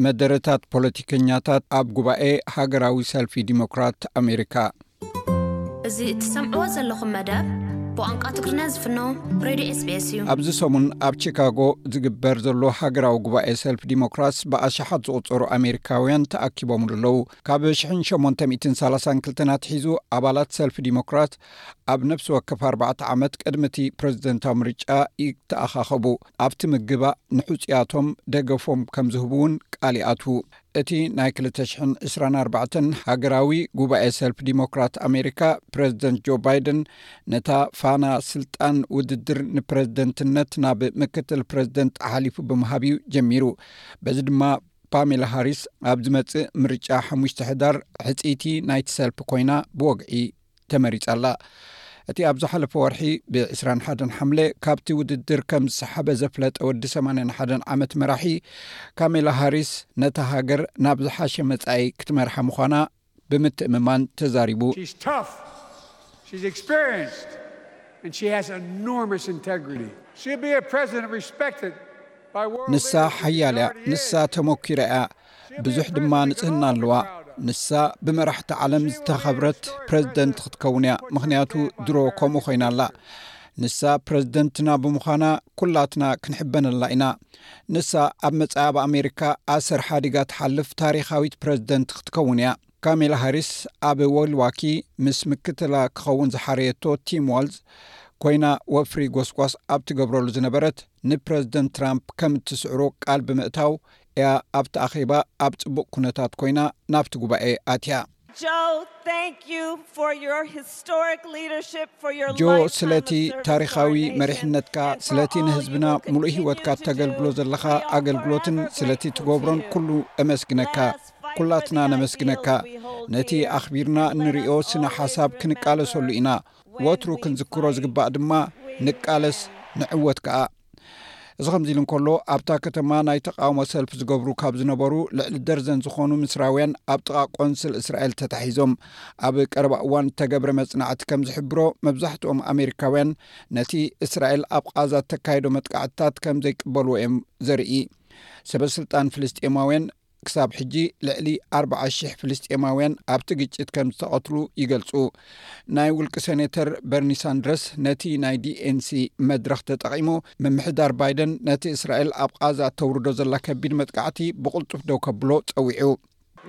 መደረታት ፖለቲከኛታት ኣብ ጉባኤ ሃገራዊ ሰልፊ ዲሞክራት ኣሜሪካ። እዚ እትሰምዕዎ ዘለኹም መደብ ብቋንቋ ትግርኛ ዝፍኖ ሬድዮ ኤስቢኤስ እዩ። ኣብዚ ሰሙን ኣብ ቺካጎ ዝግበር ዘሎ ሃገራዊ ጉባኤ ሰልፊ ዲሞክራትስ ብኣሽሓት ዝቑጸሩ ኣሜሪካውያን ተኣኪቦምሉ ኣለዉ። ካብ ሽሕን ሸሞንተ ሚእትን ሰላሳን ክልተን ኣትሒዙ ኣባላት ሰልፊ ዲሞክራት ኣብ ነፍሲ ወከፍ ኣርባዕተ ዓመት ቅድሚ እቲ ፕረዚደንታዊ ምርጫ ይተኣኻኸቡ። ኣብቲ ምግባእ ንሕጹያቶም ደገፎም ከም ዝህቡ እውን ቃል ይኣትዉ። እቲ ናይ ክልተ ሽሕን ዕስራን ኣርባዕተን ሃገራዊ ጉባኤ ሰልፊ ዲሞክራት ኣሜሪካ፣ ፕረዚደንት ጆ ባይደን ነታ ፋና ስልጣን ውድድር ንፕረዚደንትነት ናብ ምክትል ፕረዚደንት ኣሕሊፉ ብምሃብ እዩ ጀሚሩ። በዚ ድማ ፓሜላ ሃሪስ ኣብ ዝመጽእ ምርጫ ሓሙሽተ ሕዳር ሕጽይቲ ናይቲ ሰልፊ ኮይና ብወግዒ ተመሪጻ ኣላ። እቲ ኣብ ዝሓለፈ ወርሒ ብ ዕስራን ሓደን ሓምለ ካብቲ ውድድር ከም ዝሰሓበ ዘፍለጠ ወዲ ሰማንያን ሓደን ዓመት መራሒ፣ ካሜላ ሃሪስ ነታ ሃገር ናብ ዝሓሸ መጻኢ ክትመርሓ ምዃና ብምትእምማን ተዛሪቡ። She's tough, she's experienced, and she has enormous integrity. She'll be a president respected by world ንሳ ሓያል እያ። ንሳ ተመኪራ እያ። ብዙሕ ድማ ንጽህና ኣለዋ። ንሳ ብመራሕቲ ዓለም ዝተኸብረት ፕረዚደንት ክትከውን እያ፣ ምኽንያቱ ድሮ ከምኡ ኮይና ኣላ። ንሳ ፕረዚደንትና ብምዃና ኩላትና ክንሕበነላ ኢና። ንሳ ኣብ መጻኢ ኣብ ኣሜሪካ ኣሰር ሓዲጋ ትሓልፍ ታሪኻዊት ፕረዚደንት ክትከውን እያ። ካሜላ ሃሪስ ኣብ ወልዋኪ ምስ ምክትላ ክኸውን ዝሓረየቶ ቲም ዋልዝ ኮይና ወፍሪ ጎስጓስ ኣብ ትገብረሉ ዝነበረት ንፕረዚደንት ትራምፕ ከም እትስዕሮ ቃል ብምእታው እያ ኣብቲ ኣኼባ ኣብ ጽቡቕ ኩነታት ኮይና ናብቲ ጉባኤ ኣትያ። Joe, thank you for your historic leadership, for your ጆ lifetime ስለቲ of service to our ታሪኻዊ nation, መሪሕነትካ and for ስለቲ all you ንህዝብና will ሙሉእ continue ህይወትካ to do. እተገልግሎ ዘለኻ We are ኣገልግሎትን forever ስለቲ grateful ትገብሮን to you. ኩሉ እመስግነካ። Let us fight for ኩላትና the ነመስግነካ። ideals we hold ነቲ dear. ኣኽቢርና Let us እንርእዮ ስነ always ሓሳብ ክንቃለሰሉ remember ኢና። when ወትሩ we ክንዝክሮ fight, ዝግባእ ድማ we ንቃለስ win. ንዕወት ከኣ። እዚ ከምዚ ኢሉ እንከሎ ኣብታ ከተማ ናይ ተቃውሞ ሰልፍ ዝገብሩ ካብ ዝነበሩ ልዕሊ ደርዘን ዝኾኑ ምስራውያን ኣብ ጥቓ ቆንስል እስራኤል ተታሒዞም። ኣብ ቀረባ እዋን እተገብረ መጽናዕቲ ከም ዝሕብሮ መብዛሕትኦም ኣሜሪካውያን ነቲ እስራኤል ኣብ ቓዛ እተካየዶ መጥቃዕትታት ከም ዘይቅበልዎ እዮም ዘርኢ። ሰበስልጣን ፍልስጤማውያን ክሳብ ሕጂ ልዕሊ ኣርባዓ ሽሕ ፍልስጤማውያን ኣብቲ ግጭት ከም ዝተቐትሉ ይገልጹ። ናይ ውልቂ ሴኔተር በርኒ ሳንደርስ ነቲ ናይ ዲኤንሲ መድረኽ ተጠቒሙ ምምሕዳር ባይደን ነቲ እስራኤል ኣብ ቓዛ እተውርዶ ዘላ ከቢድ መጥቃዕቲ ብቕልጡፍ ደው ከብሎ ጸዊዑ።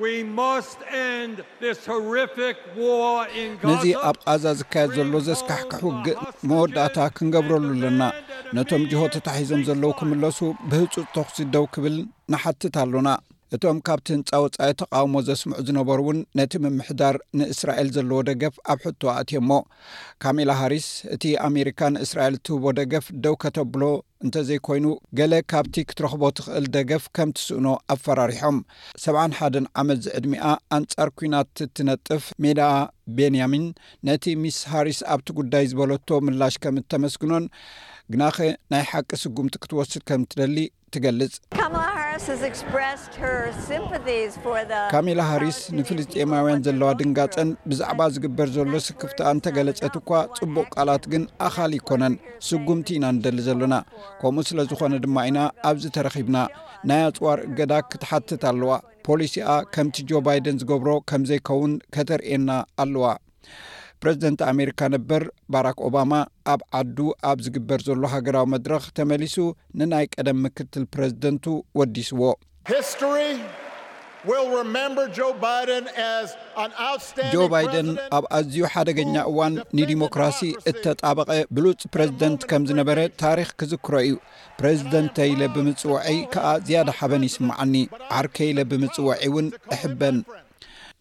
We must end this horrific war in ነዚ Gaza. ኣብ ቓዛ ዝካየድ ዘሎ ዘስካሕክሕ ውግእ መወዳእታ ክንገብረሉ ኣለና። ነቶም ጅሆ ተታሒዞም ዘለዉ ክምለሱ ብህጹጽ ተኹሲ ደው ክብል ንሓትት ኣሎና። እቶም ካብቲ ህንጻ ወጻኢ ተቃውሞ ዘስምዑ ዝነበሩ እውን ነቲ ምምሕዳር ንእስራኤል ዘለዎ ደገፍ ኣብ ሕቶ ኣእትዮሞ። ካሜላ ሃሪስ እቲ ኣሜሪካ ንእስራኤል እትህቦ ደገፍ ደው ከተብሎ እንተዘይኮይኑ ገለ ካብቲ ክትረኽቦ ትኽእል ደገፍ ከም ትስእኖ ኣፈራሪሖም። ሰብዓን ሓደን ዓመት ዝዕድሚኣ ኣንጻር ኲናት እትነጥፍ ሜዳ ቤንያሚን ነቲ ሚስ ሃሪስ ኣብቲ ጉዳይ ዝበለቶ ምላሽ ከም እተመስግኖን ግናኸ ናይ ሓቂ ስጉምቲ ክትወስድ ከም ትደሊ ትገልጽ። Kamala Harris has expressed her sympathies for the ካሜላ ሃሪስ ንፍልስጤማውያን ዘለዋ ድንጋጸን ብዛዕባ ዝግበር ዘሎ ስክፍታ እንተገለጸት እኳ ጽቡቕ ቃላት ግን ኣኻሊ ኣይኮነን። ስጉምቲ ኢና ንደሊ ዘለና። ከምኡ ስለ ዝኾነ ድማ ኢና ኣብዚ ተረኺብና። ናይ ኣጽዋር እገዳ ክትሓትት ኣለዋ። ፖሊሲኣ ከምቲ ጆ ባይደን ዝገብሮ ከም ዘይከውን ከተርእየና ኣለዋ። ፕረዚደንት ኣሜሪካ ነበር ባራክ ኦባማ ኣብ ዓዱ ኣብ ዝግበር ዘሎ ሃገራዊ መድረኽ ተመሊሱ ንናይ ቀደም ምክትል ፕረዚደንቱ ወዲስዎ። History will remember Joe Biden as an outstanding ጆ ባይደን ኣብ ኣዝዩ ሓደገኛ እዋን ንዲሞክራሲ እተጣበቐ ብሉጽ ፕረዚደንት ከም ዝነበረ ታሪኽ ክዝክሮ እዩ። ፕረዚደንተ ኢለ ብምጽውዐይ ከኣ ዝያዳ ሓበን ይስምዓኒ። ዓርከ ኢለ ብምጽውዐይ እውን እሕበን።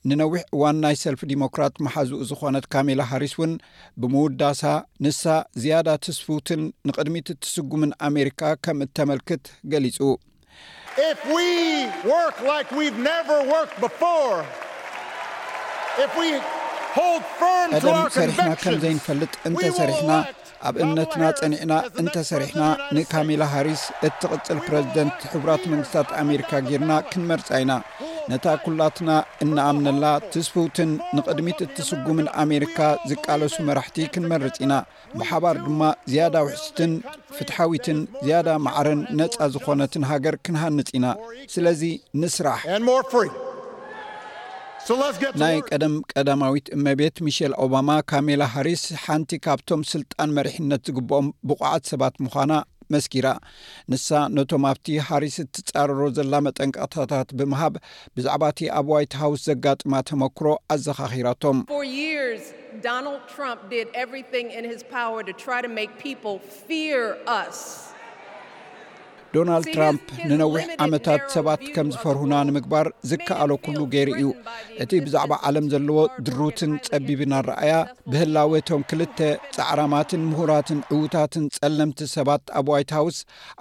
ንነዊሕ እዋን ናይ ሰልፊ ዲሞክራት መሓዝኡ ዝኾነት ካሜላ ሃሪስ እውን ብምውዳሳ ንሳ ዝያዳ ትስፍውትን ንቕድሚት እትስጉምን ኣሜሪካ ከም እተመልክት ገሊጹ። If we work like we've never worked before, if we hold firm to ቀደም our ሰሪሕና ከም convictions, ዘይንፈልጥ we will እንተሰሪሕና elect ኣብ እምነትና ጸኒዕና እንተሰሪሕና ንካሜላ ሃሪስ እትቕጽል ፕረዚደንት ሕቡራት መንግስታት ኣሜሪካ ጌርና ክንመርጻ ኢና። ነታ ኩላትና እንኣምነላ ትስፍውትን ንቕድሚት እትስጉምን ኣሜሪካ ዝቃለሱ መራሕቲ ክንመርጽ ኢና። ብሓባር ድማ ዝያዳ ውሕስትን ፍትሓዊትን ዝያዳ ማዕረን ነጻ ዝኾነትን ሃገር ክንሃንጽ ኢና። ስለዚ ንስራሕ። And more free. So let's get to ናይ work. ቀደም ቀዳማዊት እመቤት ሚሼል ኦባማ፣ ካሜላ ሃሪስ ሓንቲ ካብቶም ስልጣን መሪሕነት ዝግብኦም ብቑዓት ሰባት ምዃና መስኪራ። ንሳ ነቶም ኣብቲ ሃሪስ እትጻረሮ ዘላ መጠንቀቕታታት ብምሃብ፣ ብዛዕባ እቲ ኣብ ዋይት ሃውስ ዘጋጥማ ተመክሮ ኣዘኻኺራቶም። For years, Donald Trump did everything in his power to try to make people fear us. ዶናልድ ትራምፕ ንነዊሕ ዓመታት ሰባት ከም ዝፈርሁና ንምግባር ዝከኣሎ ኩሉ ገይሩ እዩ። እቲ ብዛዕባ ዓለም ዘለዎ ድሩትን ጸቢብን ኣረኣያ፣ ብህላወ እቶም ክልተ ጻዕራማትን ምሁራትን ዕዉታትን ጸለምቲ ሰባት ኣብ ዋይት ሃውስ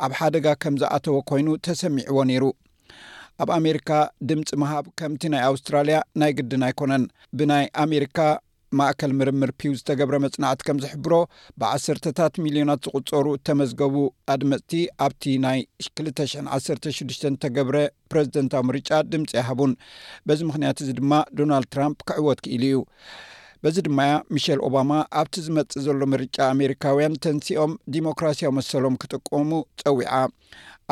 ኣብ ሓደጋ ከም ዝኣተወ ኮይኑ ተሰሚዕዎ ነይሩ። ኣብ ኣሜሪካ ድምፂ ምሃብ ከምቲ ናይ ኣውስትራልያ ናይ ግድን ኣይኮነን። ብናይ ኣሜሪካ ማእከል ምርምር ፒው ዝተገብረ መጽናዕቲ ከም ዝሕብሮ፣ ብዓሰርተታት ሚልዮናት ዝቑጸሩ እተመዝገቡ ኣድመጽቲ ኣብቲ ናይ ክልተ ሽሕን ዓሰርተ ሽዱሽተን ዝተገብረ ፕረዚደንታዊ ምርጫ ድምፂ ኣይሃቡን። በዚ ምኽንያት እዚ ድማ ዶናልድ ትራምፕ ክዕወት ክኢሉ እዩ። በዚ ድማ እያ ሚሸል ኦባማ ኣብቲ ዝመጽእ ዘሎ ምርጫ ኣሜሪካውያን ተንሲኦም ዲሞክራሲያዊ መሰሎም ክጥቀሙ ጸዊዓ።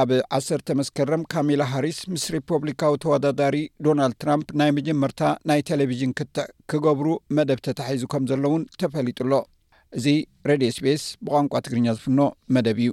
ኣብ ዓሰርተ መስከረም ካሜላ ሃሪስ ምስ ሪፖብሊካዊ ተወዳዳሪ ዶናልድ ትራምፕ ናይ መጀመርታ ናይ ቴሌቪዥን ክትዕ ክገብሩ መደብ ተታሒዙ ከም ዘለውን ተፈሊጡ ኣሎ። እዚ ሬድዮ ኤስቢኤስ ብቋንቋ ትግርኛ ዝፍኖ መደብ እዩ።